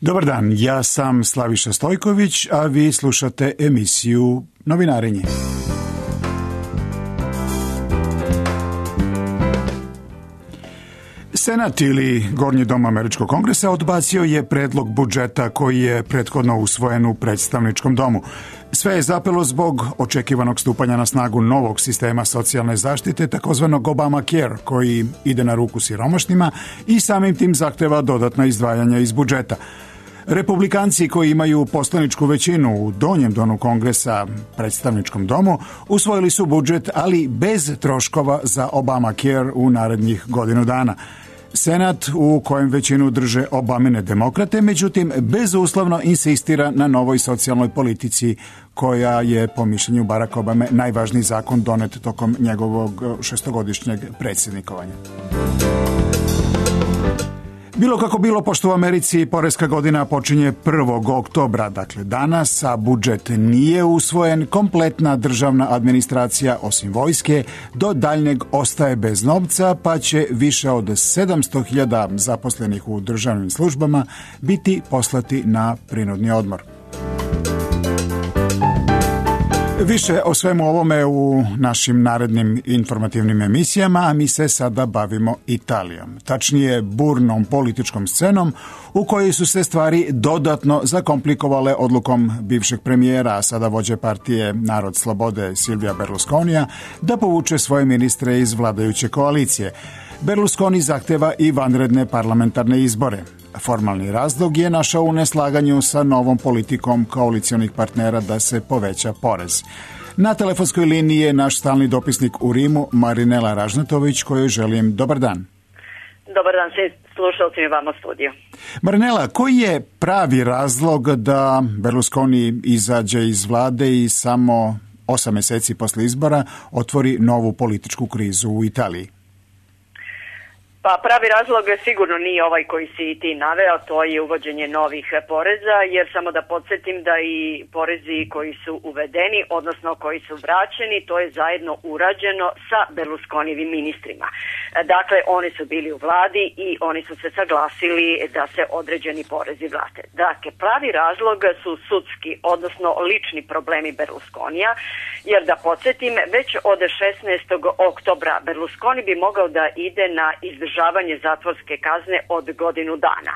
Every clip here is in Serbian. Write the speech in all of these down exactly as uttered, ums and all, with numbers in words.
Dobar dan, ja sam Slaviša Stojković, a vi slušate emisiju Novinarenje. Senat ili Gornji dom Američkog kongresa odbacio je predlog budžeta koji je prethodno usvojen u predstavničkom domu. Sve je zapelo zbog očekivanog stupanja na snagu novog sistema socijalne zaštite, takozvanog Obamacare, koji ide na ruku siromašnima i samim tim zahteva dodatna izdvajanja iz budžeta. Republikanci koji imaju poslaničku većinu u donjem domu kongresa, predstavničkom domu, usvojili su budžet, ali bez troškova za Obamacare u narednih godinu dana. Senat, u kojem većinu drže Obamine demokrate, međutim, bezuslovno insistira na novoj socijalnoj politici, koja je, po mišljenju Baracka Obame, najvažniji zakon donet tokom njegovog šestogodišnjeg predsjednikovanja. Bilo kako bilo, pošto u Americi poreska godina počinje prvog oktobra, dakle danas, a budžet nije usvojen, kompletna državna administracija, osim vojske, do daljnjeg ostaje bez novca, pa će više od sedamsto hiljada zaposlenih u državnim službama biti poslati na prinudni odmor. Više o svemu ovome u našim narednim informativnim emisijama, a mi se sada bavimo Italijom. Tačnije, burnom političkom scenom u kojoj su se stvari dodatno zakomplikovale odlukom bivšeg premijera, a sada vođe partije Narod slobode Silvija Berlusconija, da povuče svoje ministre iz vladajuće koalicije. Berlusconi zahteva i vanredne parlamentarne izbore. Formalni razlog je našao u neslaganju sa novom politikom koalicionih partnera da se poveća porez. Na telefonskoj liniji je naš stalni dopisnik u Rimu, Marinela Ražnatović, kojoj želim dobar dan. Dobar dan, svi slušalci vama u studiju. Marinela, koji je pravi razlog da Berlusconi izađe iz vlade i samo osam mjeseci posle izbora otvori novu političku krizu u Italiji? Pa pravi razlog sigurno nije ovaj koji si ti naveo, to je uvođenje novih poreza, jer samo da podsjetim da i porezi koji su uvedeni, odnosno koji su vraćeni, to je zajedno urađeno sa Berlusconijevim ministrima. Dakle, oni su bili u vladi i oni su se saglasili da se određeni porezi vrate. Dakle, pravi razlog su sudski, odnosno lični problemi Berlusconija, jer da podsjetim, već od šesnaestog oktobra Berlusconi bi mogao da ide na izdržavanje zatvorske kazne od godinu dana.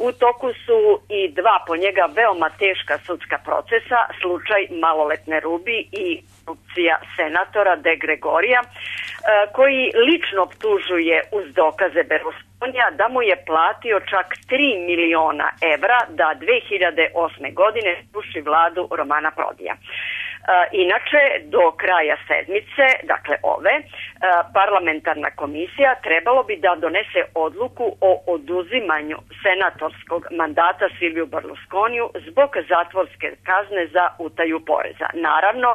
U toku su i dva po njega veoma teška sudska procesa, slučaj maloletne Rubi i korupcija senatora De Gregorija, koji lično optužuje uz dokaze Berlusconija da mu je platio čak tri miliona evra da dve hiljade osme. godine sruši vladu Romana Prodija. Inače, do kraja sedmice, dakle ove, parlamentarna komisija trebalo bi da donese odluku o oduzimanju senatorskog mandata Silviju Berlusconiju zbog zatvorske kazne za utaju poreza. Naravno,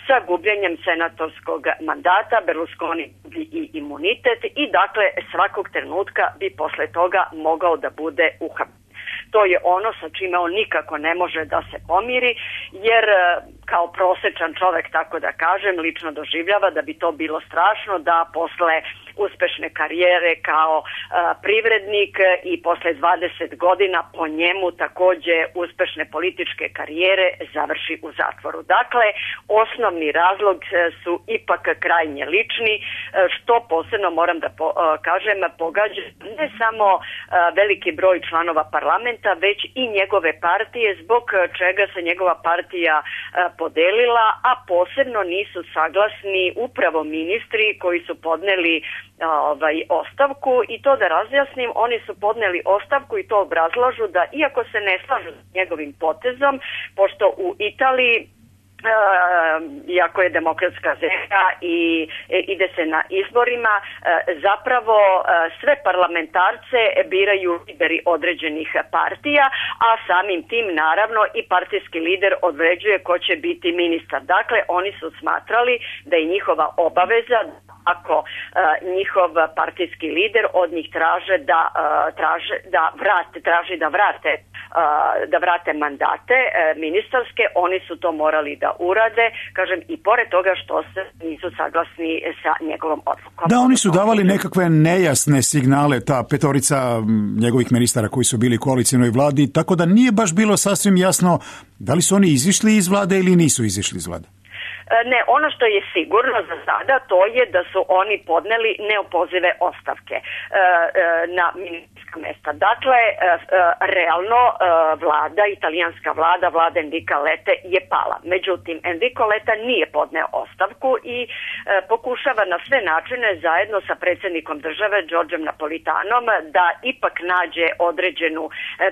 sa gubljenjem senatorskog mandata Berlusconi gubi i imunitet i dakle svakog trenutka bi posle toga mogao da bude uhapšen. To je ono sa čime on nikako ne može da se pomiri, jer kao prosečan čovek, tako da kažem, lično doživljava da bi to bilo strašno da posle uspešne karijere kao a, privrednik i posle dvadeset godina po njemu takođe uspešne političke karijere završi u zatvoru. Dakle, osnovni razlog su ipak krajnje lični, što posebno moram da po, a, kažem, pogađa ne samo a, veliki broj članova parlamenta, već i njegove partije, zbog čega se njegova partija a, podelila, a posebno nisu saglasni upravo ministri koji su podneli ovaj ostavku. I to da razjasnim, oni su podneli ostavku i to obrazlažu da iako se ne slažu s njegovim potezom, pošto u Italiji Uh, iako je demokratska zemlja i e, ide se na izborima, uh, zapravo uh, sve parlamentarce biraju lideri određenih partija, a samim tim naravno i partijski lider određuje ko će biti ministar. Dakle, oni su smatrali da je njihova obaveza ako uh, njihov partijski lider od njih traže da uh, traže da vrate, traži da vrate uh, da vrate mandate uh, ministarske, oni su to morali da urade, kažem, i pored toga što se nisu saglasni sa njegovom odlukom. Da, oni su davali nekakve nejasne signale, ta petorica njegovih ministara koji su bili u koalicijnoj vladi, tako da nije baš bilo sasvim jasno da li su oni izišli iz vlade ili nisu izišli iz vlade. Ne, ono što je sigurno za sada to je da su oni podneli neopozive ostavke na ministarska mesta. Dakle, realno vlada, italijanska vlada, vlada Enrica Lette je pala. Međutim, Enrico Letta nije podneo ostavku i pokušava na sve načine zajedno sa predsjednikom države Giorgiom Napolitanom da ipak nađe određenu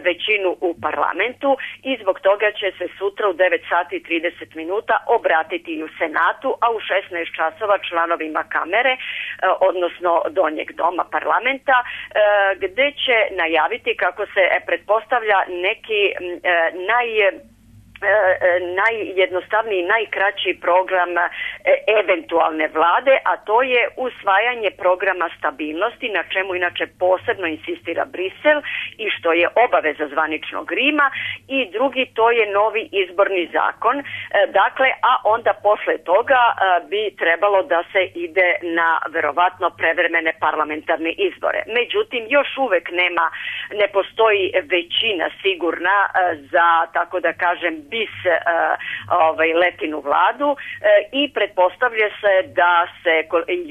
većinu u parlamentu i zbog toga će se sutra u devet sati i trideset minuta obratiti u Senatu, a u šesnaest časova članovima kamere, odnosno donjeg doma parlamenta, gde će najaviti kako se pretpostavlja neki naj najjednostavniji, najkraći program eventualne vlade, a to je usvajanje programa stabilnosti, na čemu inače posebno insistira Brisel i što je obaveza zvaničnog Rima, i drugi to je novi izborni zakon. Dakle, a onda posle toga bi trebalo da se ide na verovatno prevremene parlamentarne izbore. Međutim, još uvek nema, ne postoji većina sigurna za, tako da kažem, bis uh, ovaj, Lettinu vladu uh, i pretpostavlja se da se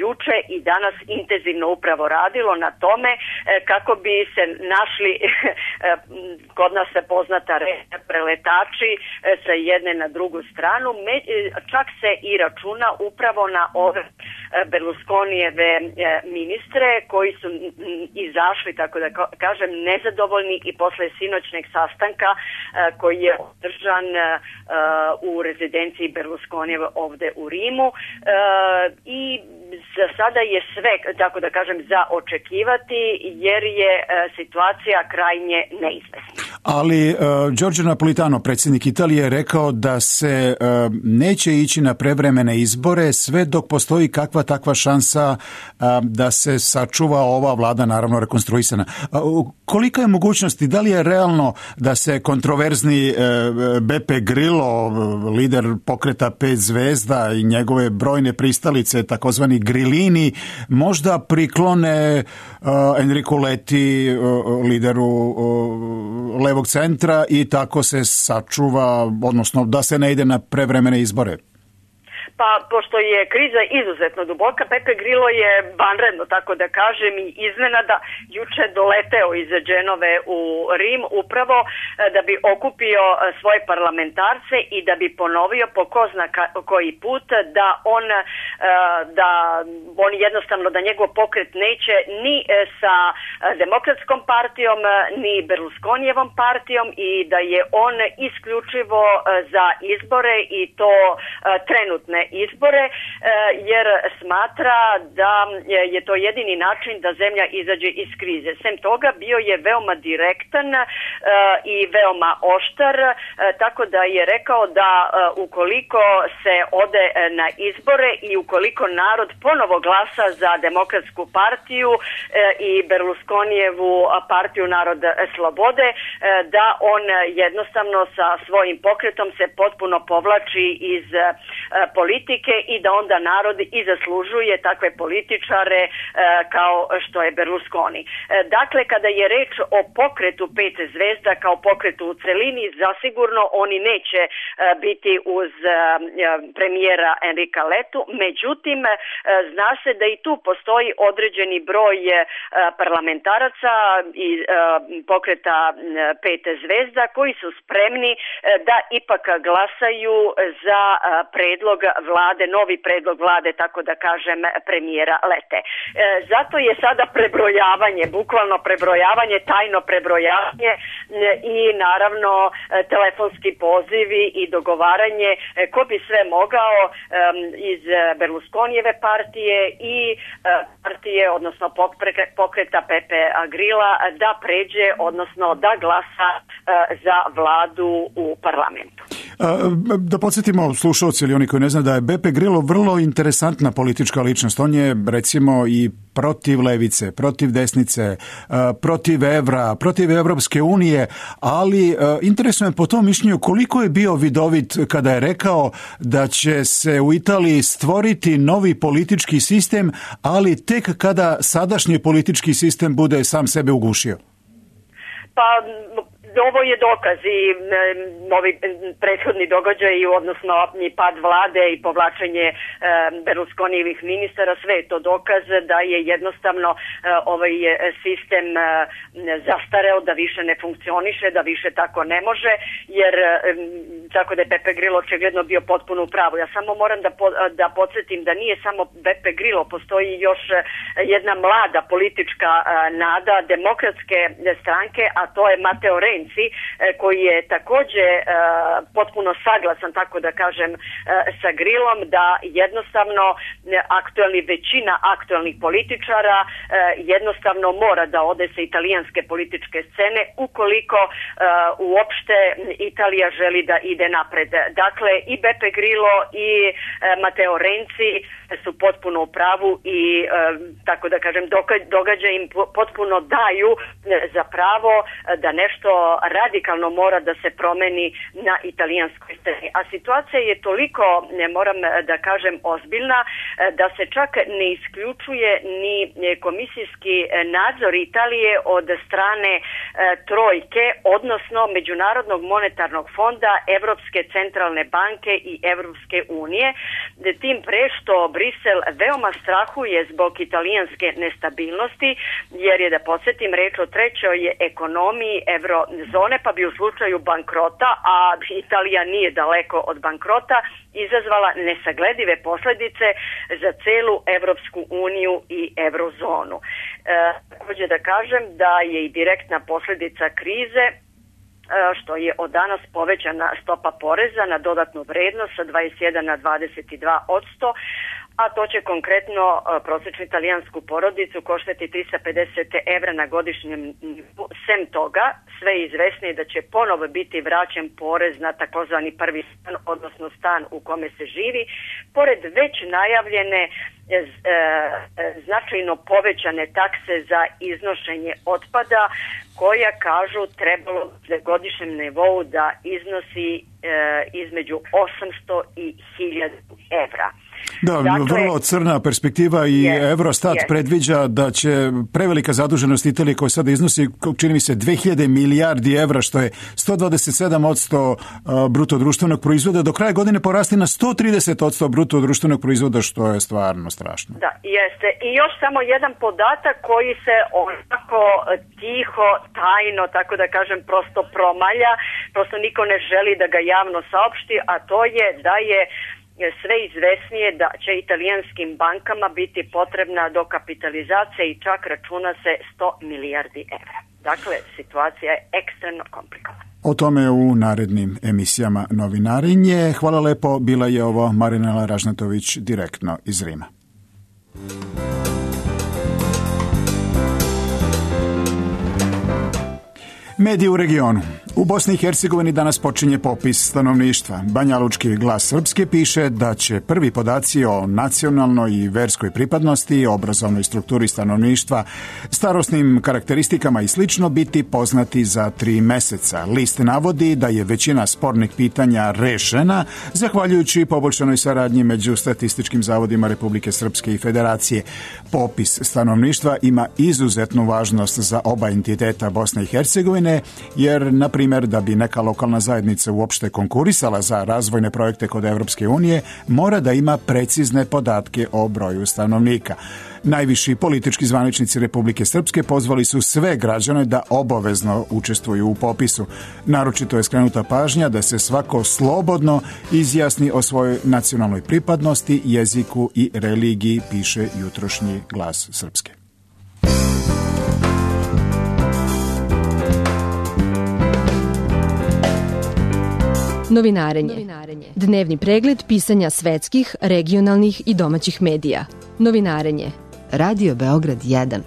juče i danas intenzivno upravo radilo na tome uh, kako bi se našli kod nas se poznata reč preletači uh, sa jedne na drugu stranu. Me, čak se i računa upravo na ove Berlusconijeve ministre koji su izašli, tako da kažem, nezadovoljni i posle sinoćneg sastanka koji je održan u rezidenciji Berlusconijeve ovde u Rimu, i za sada je sve, tako da kažem, za očekivati jer je situacija krajnje neizvesna. Ali uh, Giorgio Napolitano, predsjednik Italije, je rekao da se uh, neće ići na prevremene izbore sve dok postoji kakva takva šansa uh, da se sačuva ova vlada, naravno rekonstruisana. Uh, kolika je mogućnosti, da li je realno da se kontroverzni uh, Beppe Grillo, lider pokreta pet zvezda, i njegove brojne pristalice, takozvani Grillini, možda priklone uh, Enrico Letti, uh, lideru uh, levog centra, i tako se sačuva, odnosno da se ne ide na prevremene izbore? Pa, pošto je kriza izuzetno duboka, Beppe Grillo je vanredno, tako da kažem, i iznenada juče doleteo iz Dženove u Rim upravo da bi okupio svoje parlamentarce i da bi ponovio po ko zna koji put da on, da on jednostavno, da njegov pokret neće ni sa Demokratskom partijom, ni Berlusconijevom partijom, i da je on isključivo za izbore, i to trenutne izbore, jer smatra da je to jedini način da zemlja izađe iz krize. Sem toga, bio je veoma direktan i veoma oštar, tako da je rekao da ukoliko se ode na izbore i ukoliko narod ponovo glasa za Demokratsku partiju i Berlusconijevu partiju Narod slobode, da on jednostavno sa svojim pokretom se potpuno povlači iz politike i da onda narod i zaslužuje takve političare kao što je Berlusconi. Dakle, kada je reč o pokretu pet zvezda kao pokretu u celini, zasigurno oni neće biti uz premijera Enrica Lettu, međutim zna se da i tu postoji određeni broj parlamentaraca i pokreta pet zvezda koji su spremni da ipak glasaju za predlog vlade, novi predlog vlade, tako da kažem, premijera Lette. E, zato je sada prebrojavanje, bukvalno prebrojavanje, tajno prebrojavanje, e, i naravno e, telefonski pozivi i dogovaranje e, ko bi sve mogao e, iz Berlusconijeve partije i e, partije, odnosno pokreta Beppe Grilla, da pređe, odnosno da glasa e, za vladu u parlamentu. Da podsjetimo slušalci ili oni koji ne znaju da je Beppe Grillo vrlo interesantna politička ličnost. On je recimo i protiv levice, protiv desnice, protiv evra, protiv Evropske unije, ali interesuje me po tom mišljenju koliko je bio vidovit kada je rekao da će se u Italiji stvoriti novi politički sistem, ali tek kada sadašnji politički sistem bude sam sebe ugušio. Pa ovo je dokaz i ovi prethodni događaji, odnosno i pad vlade i povlačenje e, Berlusconijevih ministara, sve je to dokaz da je jednostavno e, ovaj sistem e, zastareo, da više ne funkcioniše, da više tako ne može, jer e, tako da je Beppe Grillo očigledno bio potpuno u pravu. Ja samo moram da, po, da podsjetim da nije samo Beppe Grillo, postoji još jedna mlada politička e, nada demokratske stranke, a to je Matteo Renzi, koji je također uh, potpuno saglasan, tako da kažem, uh, sa Grillom, da jednostavno aktualni, većina aktualnih političara uh, jednostavno mora da ode sa italijanske političke scene ukoliko uh, uopšte Italija želi da ide napred. Dakle, i Beppe Grillo i uh, Matteo Renzi su potpuno u pravu i uh, tako da kažem događaj im potpuno daju za pravo da nešto radikalno mora da se promeni na italijanskoj sceni. A situacija je toliko, ne moram da kažem, ozbiljna da se čak ne isključuje ni komisijski nadzor Italije od strane e, trojke, odnosno Međunarodnog monetarnog fonda, Evropske centralne banke i Evropske unije. Tim pre što Brisel veoma strahuje zbog italijanske nestabilnosti, jer je, da podsjetim, reč o trećoj ekonomiji eurozone, pa bi u slučaju bankrota, a Italija nije daleko od bankrota, izazvala nesagledive posljedice za celu Evropsku uniju i eurozonu. E, također da kažem da je i direktna posljedica krize što je od danas povećana stopa poreza na dodatnu vrednost sa dvadeset jedan na dvadeset dva posto, a to će konkretno prosječnu italijansku porodicu koštati tristo pedeset evra na godišnjem nivou. Sem toga, sve je izvesnije da će ponovo biti vraćen porez na takozvani prvi stan, odnosno stan u kome se živi, pored već najavljene e, e, značajno povećane takse za iznošenje otpada, koja, kažu, trebalo na godišnjem nivou da iznosi e, između osamsto i hiljadu evra. Da, dakle, vrlo crna perspektiva i yes, Eurostat yes. predviđa da će prevelika zaduženost Italije koja sada iznosi, čini mi se, dve hiljade milijardi evra, što je sto dvadeset sedam posto bruto društvenog proizvoda, do kraja godine porasti na sto trideset posto bruto društvenog proizvoda, što je stvarno strašno. Da, jeste. I još samo jedan podatak koji se onako tiho, tajno, tako da kažem, prosto promalja, prosto niko ne želi da ga javno saopšti, a to je da je sve izvesnije da će italijanskim bankama biti potrebna dokapitalizacija i čak računa se sto milijardi evra. Dakle, situacija je ekstremno komplikovana. O tome u narednim emisijama Novinarenje. Hvala lepo, bila je ovo Marinela Ražnatović direktno iz Rima. Mediji u regionu. U Bosni i Hercegovini danas počinje popis stanovništva. Banjalučki glas Srpske piše da će prvi podaci o nacionalnoj i verskoj pripadnosti, obrazovnoj strukturi stanovništva, starosnim karakteristikama i slično biti poznati za tri meseca. List navodi da je većina spornih pitanja rešena zahvaljujući poboljšanoj saradnji među statističkim zavodima Republike Srpske i Federacije. Popis stanovništva ima izuzetnu važnost za oba entiteta Bosne i Hercegovine, jer, na primjer, da bi neka lokalna zajednica uopšte konkurisala za razvojne projekte kod Evropske unije, mora da ima precizne podatke o broju stanovnika. Najviši politički zvaničnici Republike Srpske pozvali su sve građane da obavezno učestvuju u popisu. Naročito je skrenuta pažnja da se svako slobodno izjasni o svojoj nacionalnoj pripadnosti, jeziku i religiji, piše jutrošnji Glas Srpske. Novinarenje. Dnevni pregled pisanja svetskih, regionalnih i domaćih medija. Novinarenje. Radio Beograd jedan.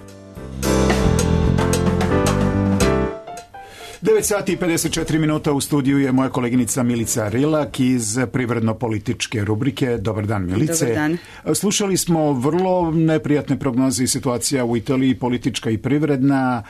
devet sati i pedeset četiri minuta, u studiju je moja koleginica Milica Rilak iz privredno-političke rubrike. Dobar dan, Milice. Dobar dan. Slušali smo vrlo neprijatne prognoze i situacija u Italiji, politička i privredna.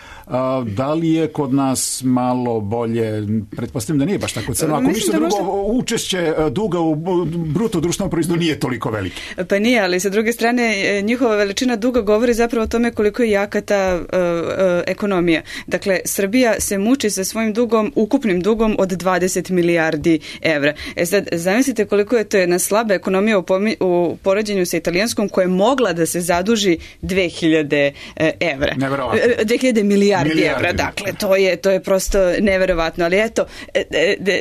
Da li je kod nas malo bolje? Pretpostavljam da nije baš tako crno. Ako ništa drugo, možda... učešće duga u bruto društvenom proizvodu nije toliko veliki. Pa nije, ali sa druge strane njihova veličina duga govori zapravo o tome koliko je jaka ta uh, uh, ekonomija. Dakle, Srbija se muči sa svojim dugom, ukupnim dugom od dvadeset milijardi evra. E sad, zamislite koliko je to jedna slaba ekonomija u, pomi, u poređenju sa italijanskom koja je mogla da se zaduži dve hiljade evra. Neverovatno. dve hiljade milijardi, milijardi evra. Dakle, to je, to je prosto neverovatno. Ali eto,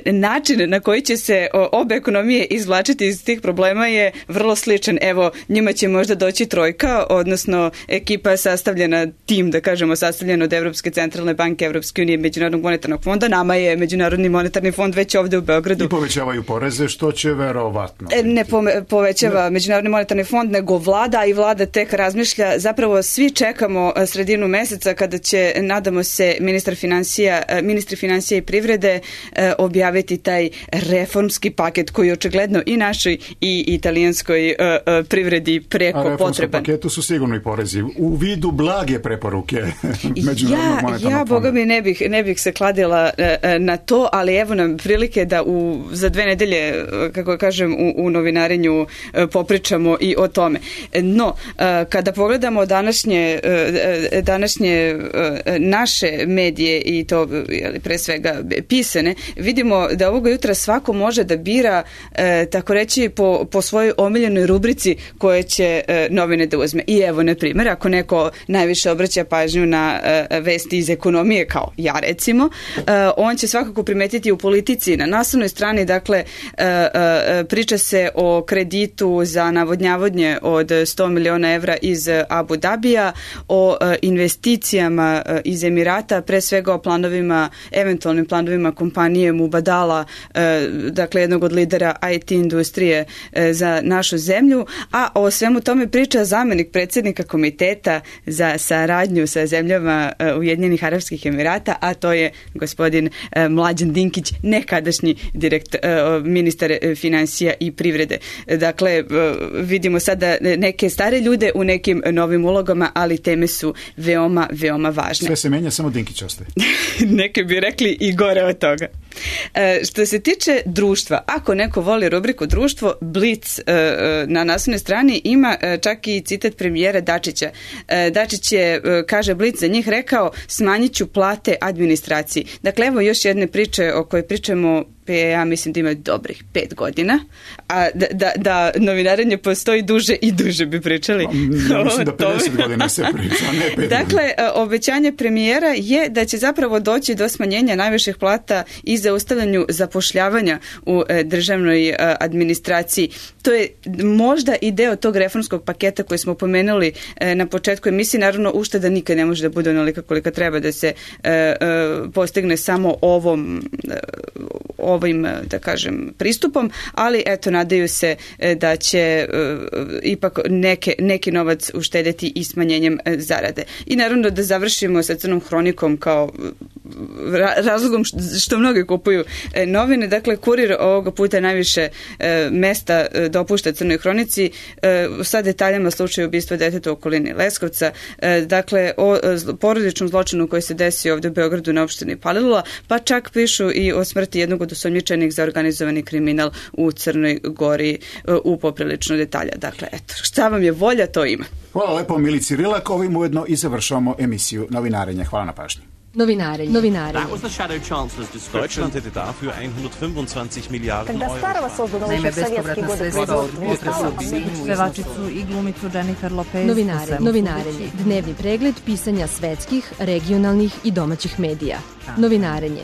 način na koji će se obe ekonomije izvlačiti iz tih problema je vrlo sličan. Evo, njima će možda doći trojka, odnosno ekipa sastavljena, tim, da kažemo, sastavljen od Evropske centralne banke, Evropske unije, Međunarodnog monetarnog fonda. Nama je Međunarodni monetarni fond već ovde u Beogradu. I povećavaju poreze, što će verovatno. Ne povećava ne. Međunarodni monetarni fond, nego vlada, i vlada tek razmišlja. Zapravo svi čekamo sredinu meseca kada će, nadamo se, ministar finansija, ministri finansija i privrede objaviti taj reformski paket koji je očigledno i našoj i italijanskoj privredi preko potreban. A reformskom paketu su sigurno i porezi u vidu blage preporuke Međunarodnog monetarnog fonda. Ja, boga mi, ne bih, ne bih se kladila na to, ali evo nam prilike da u, za dve nedelje, kako kažem, u, u novinarenju popričamo i o tome. No, kada pogledamo današnje, današnje naše medije i to pre svega pisane, vidimo da ovoga jutra svako može da bira, tako reći, po, po svojoj omiljenoj rubrici koje će novine da uzme. I evo, na primjer, ako neko najviše obraća pažnju na vesti iz ekonomije, kao ja recimo, on će svakako primetiti u politici na naslovnoj strani, dakle, priča se o kreditu za navodnjavanje od sto miliona evra iz Abu Dabija, o investicijama iz Emirata, pre svega o planovima, eventualnim planovima kompanije Mubadala, dakle jednog od lidera I T industrije za našu zemlju, a o svemu tome priča zamenik predsjednika komiteta za saradnju sa zemljama Ujedinjenih Arapskih Emirata, a to je gospodin Mlađan Dinkić, nekadašnji direkt, ministar finansija i privrede. Dakle, vidimo sada neke stare ljude u nekim novim ulogama, ali teme su veoma, veoma važne. Sve se menja, samo Dinkić ostaje. Neke bi rekli i gore od toga. E, što se tiče društva, ako neko voli rubriku društvo, Blic e, na naslovnoj strani ima e, čak i citat premijera Dačića. E, Dačić je, e, kaže Blic, za njih rekao, smanjit ću plate administraciji. Dakle, evo još jedne priče o kojoj pričamo, ja mislim da ima dobrih pet godina, a da, da, da novinarenje postoji duže i duže bi pričali. Ja mislim da pedeset godina se priča, ne pet. Dakle, obećanje premijera je da će zapravo doći do smanjenja najviših plata i zaustavljanju zapošljavanja u državnoj administraciji. To je možda i deo tog reformskog paketa koji smo pomenuli na početku emisije. Naravno, ušteda nikad ne može da bude onolika kolika treba da se postigne samo ovom ovim, da kažem, pristupom, ali eto, nadaju se da će uh, ipak neke, neki novac uštedeti i smanjenjem uh, zarade. I naravno da završimo sa Crnom hronikom kao ra razlogom što mnogi kupuju uh, novine. Dakle, Kurir ovoga puta najviše uh, mesta uh, dopušta Crnoj hronici uh, sa detaljama slučaju ubistva deteta u okolini Leskovca. Uh, dakle, o uh, porodičnom zločinu koji se desio ovde u Beogradu na opštini Palilula, pa čak pišu i o smrti jednog od osumnjičenih za organizovani kriminal u Crnoj Gori u poprilično detalja. Dakle, eto, šta vam je volja, to ima. Hvala lepo Milici Rilak, ovim ujedno i završavamo emisiju Novinarenja. Hvala na pažnji. Novinarenje. Novinarenje. That was the shadow chancellor's description. Deutschland hätte dafür hundertfünfundzwanzig Milliarden Euro. Naime, bespovratna sredstva od pevačicu i glumicu Jennifer Lopez. Novinarenje. Novinarenje. Dnevni pregled pisanja svetskih, regionalnih i domaćih medija. Novinarenje.